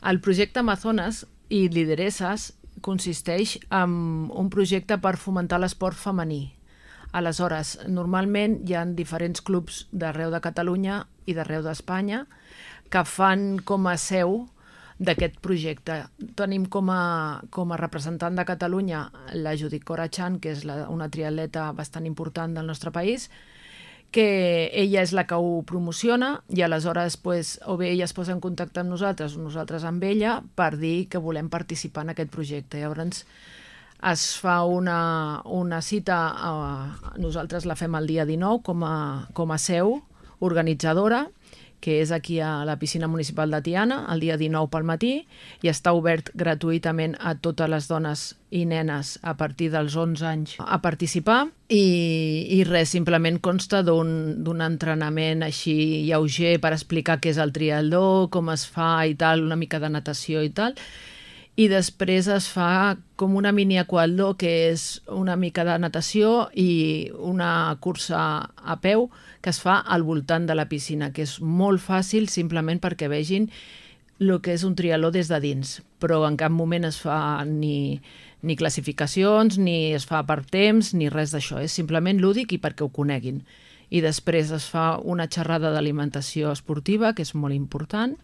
El projecte Amazones i Lideresses consisteix en un projecte per fomentar l'esport femení. Aleshores, normalment hi ha diferents clubs d'arreu de Catalunya i d'arreu d'Espanya que fan com a seu d'aquest projecte. Tenim com a representant de Catalunya la Judit Corachán, que és una triatleta bastant important del nostre país, que ella és la que ho promociona i aleshores o bé ella es posa en contacte amb nosaltres o nosaltres amb ella per dir que volem participar en aquest projecte. Llavors es fa una cita, nosaltres la fem el dia 19 com a seu organitzadora, que és aquí a la piscina municipal de Tiana, el dia 19 pel matí, i està obert gratuïtament a totes les dones i nenes a partir dels 11 anys a participar. I res, simplement consta d'un entrenament així lleuger per explicar què és el triatló, com es fa i tal, una mica de natació i tal. I després es fa com una mini aquatló, que és una mica de natació i una cursa a peu que es fa al voltant de la piscina, que és molt fàcil simplement perquè vegin el que és un triatló des de dins, però en cap moment es fa ni classificacions, ni es fa per temps, ni res d'això. És simplement lúdic i perquè ho coneguin. I després es fa una xerrada d'alimentació esportiva, que és molt important,